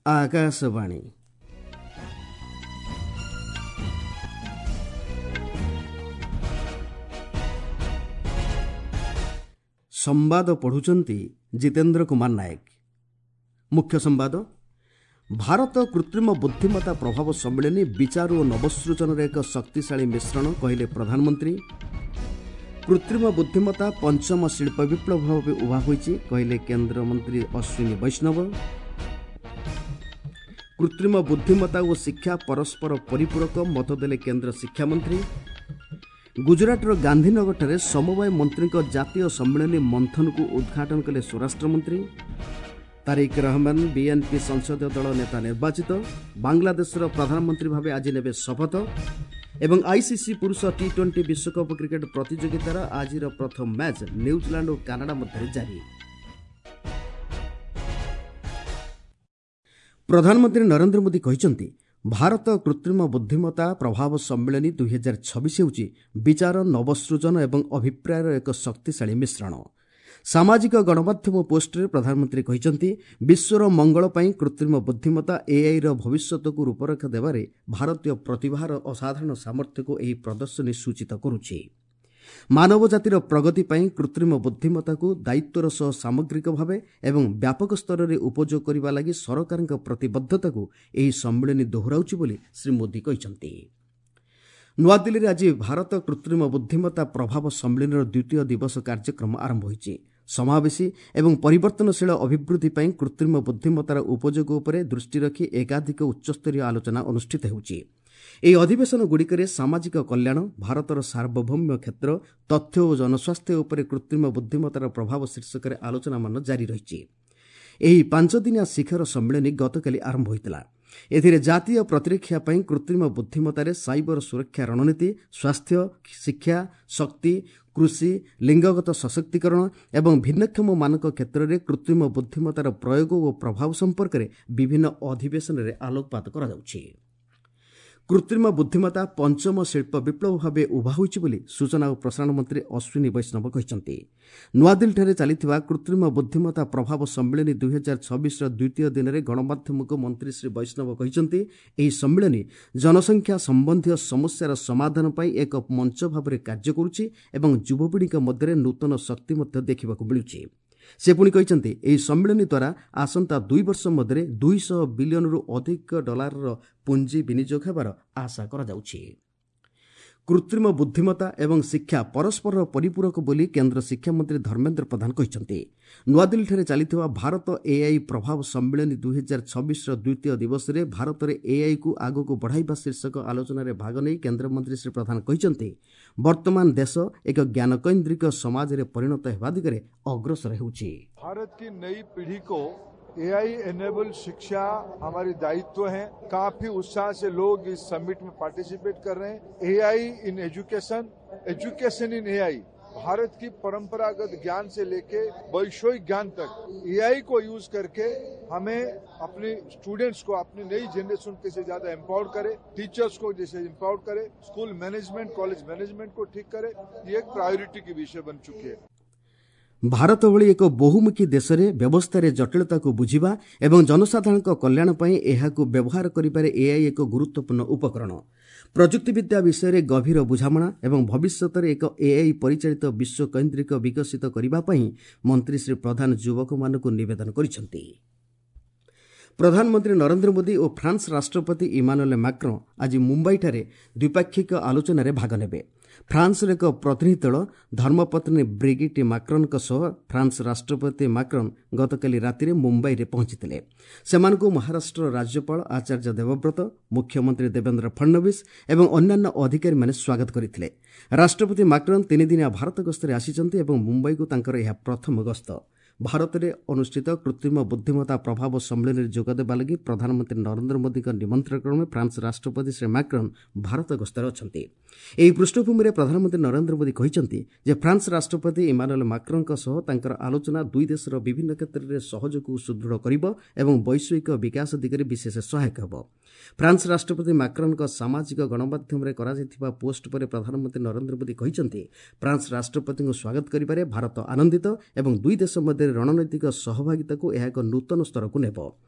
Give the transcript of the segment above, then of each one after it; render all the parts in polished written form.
ଆକାଶବାଣୀ। ସମ୍ବାଦ ପଢ଼ୁଛନ୍ତି ଜିତେନ୍ଦ୍ର କୁମାର ନାୟକ। ମୁଖ୍ୟ ସମ୍ବାଦ। ଭାରତ କୃତ୍ରିମ ବୁଦ୍ଧିମତ୍ତା ପ୍ରଭାବ ସମ୍ମିଳନୀ ବିଚାର ଓ ନବସୃଜନର ଏକ ଶକ୍ତିଶାଳୀ ମିଶ୍ରଣ, କହିଲେ ପ୍ରଧାନମନ୍ତ୍ରୀ। କୃତ୍ରିମ ବୁଦ୍ଧିମତ୍ତା ପଞ୍ଚମ ଶିଳ୍ପ ବିପ୍ଳବ ଭାବେ ଉଭା ହୋଇଛି, କହିଲେ କେନ୍ଦ୍ରମନ୍ତ୍ରୀ ଅଶ୍ୱିନୀ ବୈଷ୍ଣବ। କୃତ୍ରିମ ବୁଦ୍ଧିମତ୍ତା ଓ ଶିକ୍ଷା ପରସ୍ପର ପରିପୂରକ, ମତ ଦେଲେ କେନ୍ଦ୍ର ଶିକ୍ଷାମନ୍ତ୍ରୀ। ଗୁଜରାଟର ଗାନ୍ଧୀନଗରଠାରେ ସମବାୟ ମନ୍ତ୍ରୀଙ୍କ ଜାତୀୟ ସମ୍ମିଳନୀ ମନ୍ଥନକୁ ଉଦ୍ଘାଟନ କଲେ ସ୍ୱରାଷ୍ଟ୍ରମନ୍ତ୍ରୀ। ତାରିକ ରହମାନ ବିଏନ୍ପି ସଂସଦୀୟ ଦଳ ନେତା ନିର୍ବାଚିତ। ବାଂଲାଦେଶର ପ୍ରଧାନମନ୍ତ୍ରୀ ଭାବେ ଆଜି ନେବେ ଶପଥ। ଏବଂ ଆଇସିସି ପୁରୁଷ ଟି-20 ବିଶ୍ୱକପ୍ କ୍ରିକେଟ୍ ପ୍ରତିଯୋଗିତାର ଆଜିର ପ୍ରଥମ ମ୍ୟାଚ୍ ନ୍ୟୁଜିଲାଣ୍ଡ ଓ କାନାଡା ମଧ୍ୟରେ ଜାରି। ପ୍ରଧାନମନ୍ତ୍ରୀ ନରେନ୍ଦ୍ର ମୋଦି କହିଛନ୍ତି, ଭାରତ କୃତ୍ରିମ ବୁଦ୍ଧିମତ୍ତା ପ୍ରଭାବ ସମ୍ମିଳନୀ 2026 ହେଉଛି ବିଚାର, ନବସୃଜନ ଏବଂ ଅଭିପ୍ରାୟର ଏକ ଶକ୍ତିଶାଳୀ ମିଶ୍ରଣ। ସାମାଜିକ ଗଣମାଧ୍ୟମ ପୋଷ୍ଟରେ ପ୍ରଧାନମନ୍ତ୍ରୀ କହିଛନ୍ତି, ବିଶ୍ୱର ମଙ୍ଗଳ ପାଇଁ କୃତ୍ରିମ ବୁଦ୍ଧିମତ୍ତା ଏଆଇର ଭବିଷ୍ୟତକୁ ରୂପରେଖ ଦେବାରେ ଭାରତୀୟ ପ୍ରତିଭାର ଅସାଧାରଣ ସାମର୍ଥ୍ୟକୁ ଏହି ପ୍ରଦର୍ଶନୀ ସୂଚିତ କରୁଛି। ମାନବ ଜାତିର ପ୍ରଗତି ପାଇଁ କୃତ୍ରିମ ବୁଦ୍ଧିମତ୍ତାକୁ ଦାୟିତ୍ୱର ସହ ସାମଗ୍ରିକ ଭାବେ ଏବଂ ବ୍ୟାପକ ସ୍ତରରେ ଉପଯୋଗ କରିବା ଲାଗି ସରକାରଙ୍କ ପ୍ରତିବଦ୍ଧତାକୁ ଏହି ସମ୍ମିଳନୀ ଦୋହରାଉଛି ବୋଲି ଶ୍ରୀ ମୋଦି କହିଛନ୍ତି। ନୂଆଦିଲ୍ଲୀରେ ଆଜି ଭାରତ କୃତ୍ରିମ ବୁଦ୍ଧିମତ୍ତା ପ୍ରଭାବ ସମ୍ମିଳନୀର ଦ୍ୱିତୀୟ ଦିବସ କାର୍ଯ୍ୟକ୍ରମ ଆରମ୍ଭ ହୋଇଛି। ସମାବେଶୀ ଏବଂ ପରିବର୍ତ୍ତନଶୀଳ ଅଭିବୃଦ୍ଧି ପାଇଁ କୃତ୍ରିମ ବୁଦ୍ଧିମତ୍ତାର ଉପଯୋଗ ଉପରେ ଦୃଷ୍ଟି ରଖି ଏକାଧିକ ଉଚ୍ଚସ୍ତରୀୟ ଆଲୋଚନା ଅନୁଷ୍ଠିତ ହେଉଛି। ଏହି ଅଧିବେଶନଗୁଡ଼ିକରେ ସାମାଜିକ କଲ୍ୟାଣ, ଭାରତର ସାର୍ବଭୌମ୍ୟ କ୍ଷେତ୍ର, ତଥ୍ୟ ଓ ଜନସ୍ୱାସ୍ଥ୍ୟ ଉପରେ କୃତ୍ରିମ ବୁଦ୍ଧିମତ୍ତାର ପ୍ରଭାବ ଶୀର୍ଷକରେ ଆଲୋଚନାମାନ ଜାରି ରହିଛି। ଏହି ପାଞ୍ଚଦିନିଆ ଶିଖର ସମ୍ମିଳନୀ ଗତକାଲି ଆରମ୍ଭ ହୋଇଥିଲା। ଏଥିରେ ଜାତୀୟ ପ୍ରତିରକ୍ଷା ପାଇଁ କୃତ୍ରିମ ବୁଦ୍ଧିମତ୍ତାରେ ସାଇବର ସୁରକ୍ଷା ରଣନୀତି, ସ୍ୱାସ୍ଥ୍ୟ, ଶିକ୍ଷା, ଶକ୍ତି, କୃଷି, ଲିଙ୍ଗଗତ ସଶକ୍ତିକରଣ ଏବଂ ଭିନ୍ନକ୍ଷମମାନଙ୍କ କ୍ଷେତ୍ରରେ କୃତ୍ରିମ ବୁଦ୍ଧିମତ୍ତାର ପ୍ରୟୋଗ ଓ ପ୍ରଭାବ ସମ୍ପର୍କରେ ବିଭିନ୍ନ ଅଧିବେଶନରେ ଆଲୋକପାତ କରାଯାଉଛି। କୃତ୍ରିମ ବୁଦ୍ଧିମତ୍ତା ପଞ୍ଚମ ଶିଳ୍ପ ବିପ୍ଳବ ଭାବେ ଉଭା ହୋଇଛି ବୋଲି ସୂଚନା ଓ ପ୍ରସାରଣ ମନ୍ତ୍ରୀ ଅଶ୍ୱିନୀ ବୈଷ୍ଣବ କହିଛନ୍ତି। ନୂଆଦିଲ୍ଲୀଠାରେ ଚାଲିଥିବା କୃତ୍ରିମ ବୁଦ୍ଧିମତ୍ତା ପ୍ରଭାବ ସମ୍ମିଳନୀ 2026ର ଦ୍ୱିତୀୟ ଦିନରେ ଗଣମାଧ୍ୟମକୁ ମନ୍ତ୍ରୀ ଶ୍ରୀ ବୈଷ୍ଣବ କହିଛନ୍ତି, ଏହି ସମ୍ମିଳନୀ ଜନସଂଖ୍ୟା ସମ୍ବନ୍ଧୀୟ ସମସ୍ୟାର ସମାଧାନ ପାଇଁ ଏକ ମଞ୍ଚ ଭାବରେ କାର୍ଯ୍ୟ କରୁଛି ଏବଂ ଯୁବପିଢ଼ିଙ୍କ ମଧ୍ୟରେ ନୂତନ ଶକ୍ତି ମଧ୍ୟ ଦେଖିବାକୁ ମିଳୁଛି। ସେ ପୁଣି କହିଛନ୍ତି, ଏହି ସମ୍ମିଳନୀ ଦ୍ୱାରା ଆସନ୍ତା 2 ବର୍ଷ ମଧ୍ୟରେ 200 ବିଲିୟନରୁ ଅଧିକ ଡଲାରର ପୁଞ୍ଜି ବିନିଯୋଗ ହେବାର ଆଶା କରାଯାଉଛି। କୃତ୍ରିମ ବୁଦ୍ଧିମତ୍ତା ଏବଂ ଶିକ୍ଷା ପରସ୍ପରର ପରିପୂରକ ବୋଲି କେନ୍ଦ୍ର ଶିକ୍ଷାମନ୍ତ୍ରୀ ଧର୍ମେନ୍ଦ୍ର ପ୍ରଧାନ କହିଛନ୍ତି। ନୂଆଦିଲ୍ଲୀଠାରେ ଚାଲିଥିବା ଭାରତ ଏଆଇ ପ୍ରଭାବ ସମ୍ମିଳନୀ 2026ର ଦ୍ୱିତୀୟ ଦିବସରେ ଭାରତରେ ଏଆଇକୁ ଆଗକୁ ବଢ଼ାଇବା ଶୀର୍ଷକ ଆଲୋଚନାରେ ଭାଗ ନେଇ କେନ୍ଦ୍ରମନ୍ତ୍ରୀ ଶ୍ରୀ ପ୍ରଧାନ କହିଛନ୍ତି, ବର୍ତ୍ତମାନ ଦେଶ ଏକ ଜ୍ଞାନକୈନ୍ଦ୍ରିକ ସମାଜରେ ପରିଣତ ହେବା ଦିଗରେ ଅଗ୍ରସର ହେଉଛି। ଭାରତ କି ନई पीढ़ी को एआई एनेबल शिक्षा हमारी दायित्व है। काफी उत्साह से लोग इस समिट में पार्टिसिपेट कर रहे हैं। AI in education, education in AI, Bharat की परंपरागत ज्ञान से लेके वैश्विक ज्ञान तक एआई को यूज करके हमें अपने स्टूडेंट्स को, अपनी नई जनरेशन कैसे ज्यादा एम्पावर करे, टीचर्स को जैसे एम्पावर करे, स्कूल मैनेजमेंट, कॉलेज मैनेजमेंट को ठीक करे, ये एक प्रायोरिटी की विषय बन चुकी है। ଭାରତ ଭଳି ଏକ ବହୁମୁଖୀ ଦେଶରେ ବ୍ୟବସ୍ଥାରେ ଜଟିଳତାକୁ ବୁଝିବା ଏବଂ ଜନସାଧାରଣଙ୍କ କଲ୍ୟାଣ ପାଇଁ ଏହାକୁ ବ୍ୟବହାର କରିବାରେ ଏଆଇ ଏକ ଗୁରୁତ୍ୱପୂର୍ଣ୍ଣ ଉପକରଣ। ପ୍ରଯୁକ୍ତିବିଦ୍ୟା ବିଷୟରେ ଗଭୀର ବୁଝାମଣା ଏବଂ ଭବିଷ୍ୟତରେ ଏକ ଏଆଇ ପରିଚାଳିତ ବିଶ୍ୱକୈନ୍ଦ୍ରିକ ବିକଶିତ କରିବା ପାଇଁ ମନ୍ତ୍ରୀ ଶ୍ରୀ ପ୍ରଧାନ ଯୁବକମାନଙ୍କୁ ନିବେଦନ କରିଛନ୍ତି। ପ୍ରଧାନମନ୍ତ୍ରୀ ନରେନ୍ଦ୍ର ମୋଦି ଓ ଫ୍ରାନ୍ସ ରାଷ୍ଟ୍ରପତି ଇମାନୁଏଲ୍ ମାକ୍ରଁ ଆଜି ମୁମ୍ବାଇଠାରେ ଦ୍ୱିପାକ୍ଷିକ ଆଲୋଚନାରେ ଭାଗ ନେବେ। ଫ୍ରାନ୍ସର ଏକ ପ୍ରତିନିଧି ଦଳ ଧର୍ମପତ୍ନୀ ବ୍ରିଗିଟ୍ ମାକ୍ରନ୍ଙ୍କ ସହ ଫ୍ରାନ୍ସ ରାଷ୍ଟ୍ରପତି ମାକ୍ରନ୍ ଗତକାଲି ରାତିରେ ମୁମ୍ବାଇରେ ପହଞ୍ଚିଥିଲେ। ସେମାନଙ୍କୁ ମହାରାଷ୍ଟ୍ର ରାଜ୍ୟପାଳ ଆଚାର୍ଯ୍ୟ ଦେବବ୍ରତ, ମୁଖ୍ୟମନ୍ତ୍ରୀ ଦେବେନ୍ଦ୍ର ଫଡ୍ନବୀସ ଏବଂ ଅନ୍ୟାନ୍ୟ ଅଧିକାରୀମାନେ ସ୍ୱାଗତ କରିଥିଲେ। ରାଷ୍ଟ୍ରପତି ମାକ୍ରନ୍ ତିନିଦିନିଆ ଭାରତ ଗସ୍ତରେ ଆସିଛନ୍ତି ଏବଂ ମୁମ୍ବାଇକୁ ତାଙ୍କର ଏହା ପ୍ରଥମ ଗସ୍ତ। ଭାରତରେ ଅନୁଷ୍ଠିତ କୃତ୍ରିମ ବୁଦ୍ଧିମତ୍ତା ପ୍ରଭାବ ସମ୍ମିଳନୀରେ ଯୋଗଦେବା ଲାଗି ପ୍ରଧାନମନ୍ତ୍ରୀ ନରେନ୍ଦ୍ର ମୋଦିଙ୍କ ନିମନ୍ତ୍ରଣ କ୍ରମେ ଫ୍ରାନ୍ସ ରାଷ୍ଟ୍ରପତି ଶ୍ରୀ ମାକ୍ରନ୍ ଭାରତ ଗସ୍ତରେ ଅଛନ୍ତି। ଏହି ପୃଷ୍ଠଭୂମିରେ ପ୍ରଧାନମନ୍ତ୍ରୀ ନରେନ୍ଦ୍ର ମୋଦି କହିଛନ୍ତି ଯେ ଫ୍ରାନ୍ସ ରାଷ୍ଟ୍ରପତି ଇମାନୁଏଲ୍ ମାକ୍ରନ୍ଙ୍କ ସହ ତାଙ୍କର ଆଲୋଚନା ଦୁଇ ଦେଶର ବିଭିନ୍ନ କ୍ଷେତ୍ରରେ ସହଯୋଗକୁ ସୁଦୃଢ଼ କରିବ ଏବଂ ବୈଶ୍ୱିକ ବିକାଶ ଦିଗରେ ବିଶେଷ ସହାୟକ ହେବ। ଫ୍ରାନ୍ସ ରାଷ୍ଟ୍ରପତି ମାକ୍ରନ୍ଙ୍କ ସାମାଜିକ ଗଣମାଧ୍ୟମରେ କରାଯାଇଥିବା ପୋଷ୍ଟ ପରେ ପ୍ରଧାନମନ୍ତ୍ରୀ ନରେନ୍ଦ୍ର ମୋଦି କହିଛନ୍ତି, ଫ୍ରାନ୍ସ ରାଷ୍ଟ୍ରପତିଙ୍କୁ ସ୍ୱାଗତ କରିବାରେ ଭାରତ ଆନନ୍ଦିତ ଏବଂ ଦୁଇ ଦେଶ ମଧ୍ୟରେ ରଣନୈତିକ ସହଭାଗିତାକୁ ଏହା ଏକ ନୂତନ ସ୍ତରକୁ ନେବ।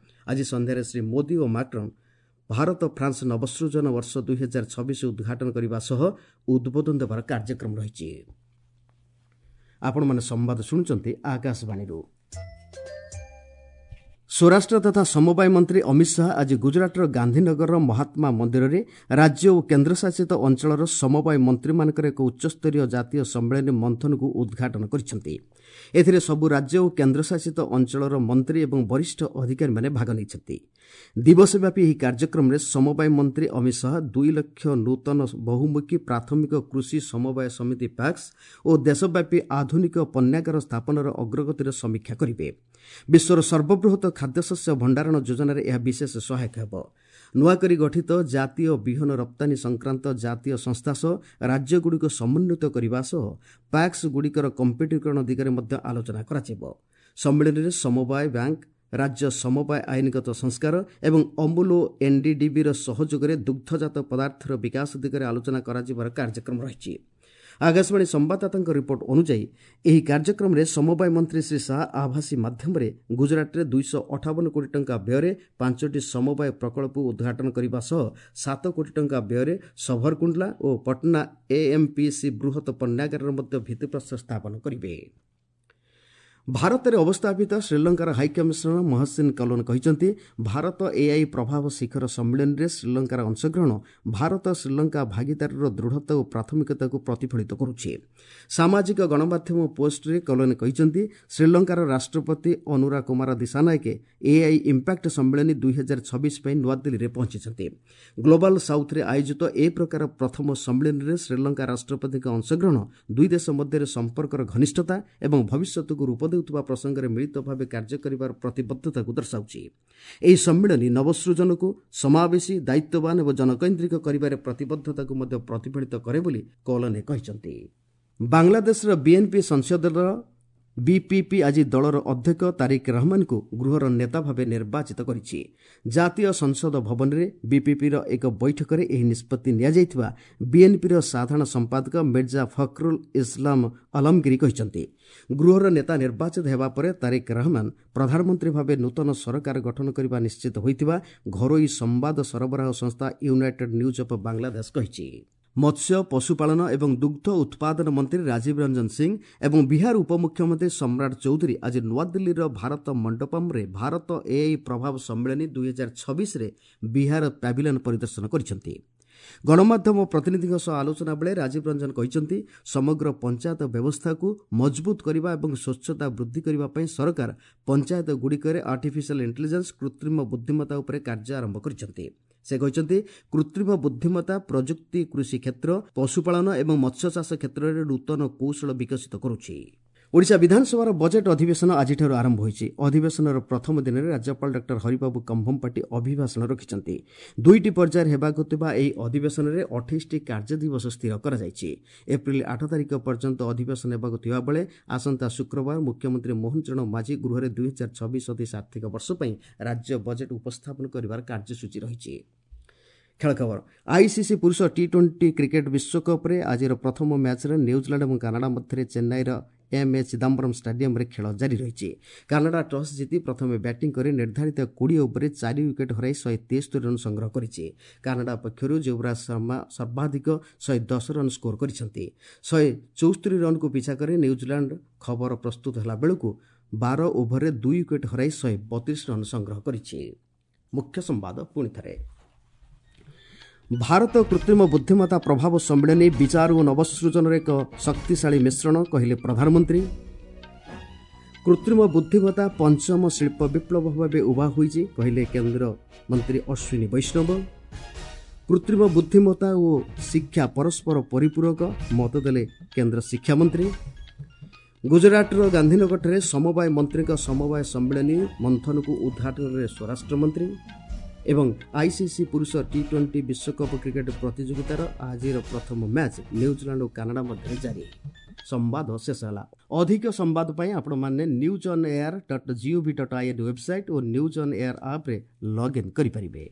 ଆଜି ସନ୍ଧ୍ୟାରେ ଶ୍ରୀ ମୋଦି ଓ ମାକ୍ରନ୍ ଭାରତ ଫ୍ରାନ୍ସ ନବସୃଜନ ବର୍ଷ 2026 ଉଦ୍ଘାଟନ କରିବା ସହ ଉଦ୍ବୋଧନ ଦେବାର କାର୍ଯ୍ୟକ୍ରମ ରହିଛି। ଆପଣମାନେ ସମ୍ବାଦ ଶୁଣୁଛନ୍ତି ଆକାଶବାଣୀରୁ। ସ୍ୱରାଷ୍ଟ୍ର ତଥା ସମବାୟ ମନ୍ତ୍ରୀ ଅମିତ ଶାହା ଆଜି ଗୁଜରାଟର ଗାନ୍ଧୀନଗରର ମହାତ୍ମା ମନ୍ଦିରରେ ରାଜ୍ୟ ଓ କେନ୍ଦ୍ରଶାସିତ ଅଞ୍ଚଳର ସମବାୟ ମନ୍ତ୍ରୀମାନଙ୍କର ଏକ ଉଚ୍ଚସ୍ତରୀୟ ଜାତୀୟ ସମ୍ମିଳନୀ ମନ୍ଥନକୁ ଉଦ୍ଘାଟନ କରିଛନ୍ତି। ଏଥିରେ ସବୁ ରାଜ୍ୟ ଓ କେନ୍ଦ୍ରଶାସିତ ଅଞ୍ଚଳର ମନ୍ତ୍ରୀ ଏବଂ ବରିଷ୍ଠ ଅଧିକାରୀମାନେ ଭାଗ ନେଇଛନ୍ତି। ଦିବସବ୍ୟାପୀ ଏହି କାର୍ଯ୍ୟକ୍ରମରେ ସମବାୟ ମନ୍ତ୍ରୀ ଅମିତ ଶାହା 2 ଲକ୍ଷ ନୂତନ ବହୁମୁଖୀ ପ୍ରାଥମିକ କୃଷି ସମବାୟ ସମିତି ପ୍ୟାକ୍ସ ଓ ଦେଶବ୍ୟାପୀ ଆଧୁନିକ ପଣ୍ୟାଗାର ସ୍ଥାପନର ଅଗ୍ରଗତିର ସମୀକ୍ଷା କରିବେ। ବିଶ୍ୱର ସର୍ବବୃହତ ଖାଦ୍ୟଶସ୍ୟ ଭଣ୍ଡାରଣ ଯୋଜନାରେ ଏହା ବିଶେଷ ସହାୟକ ହେବ। ନୂଆକରି ଗଠିତ ଜାତୀୟ ବିହନ ରପ୍ତାନୀ ସଂକ୍ରାନ୍ତ ଜାତୀୟ ସଂସ୍ଥା ସହ ରାଜ୍ୟଗୁଡ଼ିକୁ ସମନ୍ୱିତ କରିବା ସହ ପ୍ୟାକ୍ସଗୁଡ଼ିକର କମ୍ପ୍ୟୁଟରୀକରଣ ଦିଗରେ ମଧ୍ୟ ଆଲୋଚନା କରାଯିବ। ସମ୍ମିଳନୀରେ ସମବାୟ ବ୍ୟାଙ୍କ, ରାଜ୍ୟ ସମବାୟ ଆଇନଗତ ସଂସ୍କାର ଏବଂ ଅମୁଲ ଓ ଏନ୍ଡିଡିବିର ସହଯୋଗରେ ଦୁଗ୍ଧଜାତ ପଦାର୍ଥର ବିକାଶ ଦିଗରେ ଆଲୋଚନା କରାଯିବାର କାର୍ଯ୍ୟକ୍ରମ ରହିଛି। ଆକାଶବାଣୀ ସମ୍ବାଦଦାତାଙ୍କ ରିପୋର୍ଟ ଅନୁଯାୟୀ ଏହି କାର୍ଯ୍ୟକ୍ରମରେ ସମବାୟ ମନ୍ତ୍ରୀ ଶ୍ରୀ ଶାହା ଆଭାସୀ ମାଧ୍ୟମରେ ଗୁଜରାଟରେ 258 କୋଟି ଟଙ୍କା ବ୍ୟୟରେ 5ଟି ସମବାୟ ପ୍ରକଳ୍ପ ଉଦ୍ଘାଟନ କରିବା ସହ 7 କୋଟି ଟଙ୍କା ବ୍ୟୟରେ ସଭରକୁଣ୍ଡଲା ଓ ପଟନା ଏଏମ୍ପିସି ବୃହତ ପଣ୍ୟାଗାରର ମଧ୍ୟ ଭିତ୍ତିପ୍ରସ୍ତର ସ୍ଥାପନ କରିବେ। ଭାରତରେ ଅବସ୍ଥାପିତ ଶ୍ରୀଲଙ୍କାର ହାଇକମିଶନର ମହସିନ କଲୋନ କହିଛନ୍ତି, ଭାରତ ଏଆଇ ପ୍ରଭାବ ଶିଖର ସମ୍ମିଳନୀରେ ଶ୍ରୀଲଙ୍କାର ଅଂଶଗ୍ରହଣ ଭାରତ ଶ୍ରୀଲଙ୍କା ଭାଗିଦାରୀର ଦୃଢ଼ତା ଓ ପ୍ରାଥମିକତାକୁ ପ୍ରତିଫଳିତ କରୁଛି। ସାମାଜିକ ଗଣମାଧ୍ୟମ ପୋଷ୍ଟରେ କଲୋନ କହିଛନ୍ତି, ଶ୍ରୀଲଙ୍କାର ରାଷ୍ଟ୍ରପତି ଅନୁରା କୁମାର ଦିଶାନାୟକେ ଏଆଇ ଇମ୍ପାକ୍ଟ ସମ୍ମିଳନୀ 2026 ପାଇଁ ନୂଆଦିଲ୍ଲୀରେ ପହଞ୍ଚିଛନ୍ତି। ଗ୍ଲୋବାଲ ସାଉଥରେ ଆୟୋଜିତ ଏ ପ୍ରକାର ପ୍ରଥମ ସମ୍ମିଳନୀରେ ଶ୍ରୀଲଙ୍କା ରାଷ୍ଟ୍ରପତିଙ୍କ ଅଂଶଗ୍ରହଣ ଦୁଇ ଦେଶ ମଧ୍ୟରେ ସମ୍ପର୍କର ଘନିଷ୍ଠତା ଏବଂ ଭବିଷ୍ୟତକୁ ରୂପ ଦେଉଥିବା ପ୍ରସଙ୍ଗରେ ମିଳିତ ଭାବେ କାର୍ଯ୍ୟ କରିବାର ପ୍ରତିବଦ୍ଧତାକୁ ଦର୍ଶାଉଛି। ଏହି ସମ୍ମିଳନୀ ନବସୃଜନକୁ ସମାବେଶୀ, ଦାୟିତ୍ୱବାନ ଏବଂ ଜନକୈନ୍ଦ୍ରିକ କରିବାରେ ପ୍ରତିବଦ୍ଧତାକୁ ମଧ୍ୟ ପ୍ରତିଫଳିତ କରେ ବୋଲି କଲୋନେ କହିଛନ୍ତି। ବାଂଲାଦେଶର ବିଏନ୍ପି ସଂସଦୀୟ ଦଳ ବିପିପି ଆଜି ଦଳର ଅଧ୍ୟକ୍ଷ ତାରିକ ରହମାନଙ୍କୁ ଗୃହର ନେତା ଭାବେ ନିର୍ବାଚିତ କରିଛି। ଜାତୀୟ ସଂସଦ ଭବନରେ ବିପିପିର ଏକ ବୈଠକରେ ଏହି ନିଷ୍ପତ୍ତି ନିଆଯାଇଥିବା ବିଏନ୍ପିର ସାଧାରଣ ସମ୍ପାଦକ ମିର୍ଜା ଫଖରୁଲ ଇସଲାମ ଆଲମଗିରି କହିଛନ୍ତି। ଗୃହର ନେତା ନିର୍ବାଚିତ ହେବା ପରେ ତାରିକ ରହମାନ ପ୍ରଧାନମନ୍ତ୍ରୀ ଭାବେ ନୂତନ ସରକାର ଗଠନ କରିବା ନିଶ୍ଚିତ ହୋଇଥିବା ଘରୋଇ ସମ୍ବାଦ ସରବରାହ ସଂସ୍ଥା ୟୁନାଇଟେଡ୍ ନ୍ୟୁଜ୍ ଅଫ୍ ବାଂଲାଦେଶ କହିଛି। ମତ୍ସ୍ୟ, ପଶୁପାଳନ ଏବଂ ଦୁଗ୍ଧ ଉତ୍ପାଦନ ମନ୍ତ୍ରୀ ରାଜୀବ ରଞ୍ଜନ ସିଂ ଏବଂ ବିହାର ଉପମୁଖ୍ୟମନ୍ତ୍ରୀ ସମ୍ରାଟ ଚୌଧୁରୀ ଆଜି ନୂଆଦିଲ୍ଲୀର ଭାରତ ମଣ୍ଡପମ୍ରେ ଭାରତ ଏଆଇ ପ୍ରଭାବ ସମ୍ମିଳନୀ 2026ରେ ବିହାର ପ୍ୟାଭିଲିୟନ ପରିଦର୍ଶନ କରିଛନ୍ତି। ଗଣମାଧ୍ୟମ ପ୍ରତିନିଧିଙ୍କ ସହ ଆଲୋଚନା ବେଳେ ରାଜୀବ ରଞ୍ଜନ କହିଛନ୍ତି, ସମଗ୍ର ପଞ୍ଚାୟତ ବ୍ୟବସ୍ଥାକୁ ମଜବୁତ କରିବା ଏବଂ ସ୍ୱଚ୍ଛତା ବୃଦ୍ଧି କରିବା ପାଇଁ ସରକାର ପଞ୍ଚାୟତଗୁଡ଼ିକରେ ଆର୍ଟିଫିସିଆଲ ଇଣ୍ଟେଲିଜେନ୍ସ, କୃତ୍ରିମ ବୁଦ୍ଧିମତ୍ତା ଉପରେ କାର୍ଯ୍ୟ ଆରମ୍ଭ କରିଛନ୍ତି। ସେ କହିଛନ୍ତି, କୃତ୍ରିମ ବୁଦ୍ଧିମତ୍ତା ପ୍ରଯୁକ୍ତି କୃଷି କ୍ଷେତ୍ର, ପଶୁପାଳନ ଏବଂ ମତ୍ସ୍ୟଚାଷ କ୍ଷେତ୍ରରେ ନୂତନ କୌଶଳ ବିକଶିତ କରୁଛି। ଓଡ଼ିଶା ବିଧାନସଭାର ବଜେଟ୍ ଅଧିବେଶନ ଆଜିଠାରୁ ଆରମ୍ଭ ହୋଇଛି। ଅଧିବେଶନର ପ୍ରଥମ ଦିନରେ ରାଜ୍ୟପାଳ ଡକ୍ଟର ହରିବାବୁ କମ୍ଭମପାଟି ଅଭିଭାଷଣ ରଖିଛନ୍ତି। 2ଟି ପର୍ଯ୍ୟାୟରେ ହେବାକୁ ଥିବା ଏହି ଅଧିବେଶନରେ 28ଟି କାର୍ଯ୍ୟ ଦିବସ ସ୍ଥିର କରାଯାଇଛି। ଏପ୍ରିଲ 8 ତାରିଖ ପର୍ଯ୍ୟନ୍ତ ଅଧିବେଶନ ହେବାକୁ ଥିବାବେଳେ ଆସନ୍ତା ଶୁକ୍ରବାର ମୁଖ୍ୟମନ୍ତ୍ରୀ ମୋହନ ଚରଣ ମାଝୀ ଗୃହରେ 2026 ଆର୍ଥିକ ବର୍ଷ ପାଇଁ ରାଜ୍ୟ ବଜେଟ୍ ଉପସ୍ଥାପନ କରିବାର କାର୍ଯ୍ୟସୂଚୀ ରହିଛି। ଖେଳ ଖବର, ଆଇସିସି ପୁରୁଷ ଟି20 କ୍ରିକେଟ୍ ବିଶ୍ୱକପ୍ରେ ଆଜିର ପ୍ରଥମ ମ୍ୟାଚ୍ରେ ନ୍ୟୁଜିଲାଣ୍ଡ ଏବଂ କାନାଡା ମଧ୍ୟରେ ଚେନ୍ନାଇର ଏମ୍ ଏ ଚିଦାମ୍ବରମ୍ ଷ୍ଟାଡିୟମ୍ରେ ଖେଳ ଜାରି ରହିଛି। କାନାଡା ଟସ୍ ଜିତି ପ୍ରଥମେ ବ୍ୟାଟିଂ କରି ନିର୍ଦ୍ଧାରିତ 20 ଓଭରରେ 4 ୱିକେଟ୍ ହରାଇ 173 ରନ୍ ସଂଗ୍ରହ କରିଛି। କାନାଡା ପକ୍ଷରୁ ଯୁବରାଜ ଶର୍ମା ସର୍ବାଧିକ 110 ରନ୍ ସ୍କୋର କରିଛନ୍ତି। 174 ରନ୍କୁ ପିଛା କରି ନ୍ୟୁଜିଲାଣ୍ଡ ଖବର ପ୍ରସ୍ତୁତ ହେଲା ବେଳକୁ 12 ଓଭରରେ 2 ୱିକେଟ୍ ହରାଇ 132 ରନ୍ ସଂଗ୍ରହ କରିଛି। ମୁଖ୍ୟ ସମ୍ବାଦ ପୁଣି ଥରେ, ଭାରତ କୃତ୍ରିମ ବୁଦ୍ଧିମତ୍ତା ପ୍ରଭାବ ସମ୍ମିଳନୀ ବିଚାର ଓ ନବସୃଜନର ଏକ ଶକ୍ତିଶାଳୀ ମିଶ୍ରଣ କହିଲେ ପ୍ରଧାନମନ୍ତ୍ରୀ। କୃତ୍ରିମ ବୁଦ୍ଧିମତ୍ତା ପଞ୍ଚମ ଶିଳ୍ପ ବିପ୍ଳବ ଭାବେ ଉଭା ହୋଇଛି କହିଲେ କେନ୍ଦ୍ର ମନ୍ତ୍ରୀ ଅଶ୍ୱିନୀ ବୈଷ୍ଣବ। କୃତ୍ରିମ ବୁଦ୍ଧିମତ୍ତା ଓ ଶିକ୍ଷା ପରସ୍ପର ପରିପୂରକ ମତ ଦେଲେ କେନ୍ଦ୍ର ଶିକ୍ଷାମନ୍ତ୍ରୀ। ଗୁଜରାଟର ଗାନ୍ଧୀନଗରଠାରେ ସମବାୟ ମନ୍ତ୍ରୀଙ୍କ ସମବାୟ ସମ୍ମିଳନୀ ମନ୍ଥନକୁ ଉଦ୍ଘାଟନ କଲେ ସ୍ୱରାଷ୍ଟ୍ରମନ୍ତ୍ରୀ। ଏବଂ ଆଇସିସି ପୁରୁଷ ଟି20 ବିଶ୍ୱକପ୍ କ୍ରିକେଟ୍ ପ୍ରତିଯୋଗିତାର ଆଜିର ପ୍ରଥମ ମ୍ୟାଚ୍ ନ୍ୟୁଜିଲାଣ୍ଡ ଓ କାନାଡା ମଧ୍ୟରେ ଜାରି। ସମ୍ବାଦ ଶେଷ ହେଲା। ଅଧିକ ସମ୍ବାଦ ପାଇଁ ଆପଣମାନେ newsonair.gov.in website O news on air ଆପ୍ରେ ଲଗ୍ଇନ୍ କରିପାରିବେ।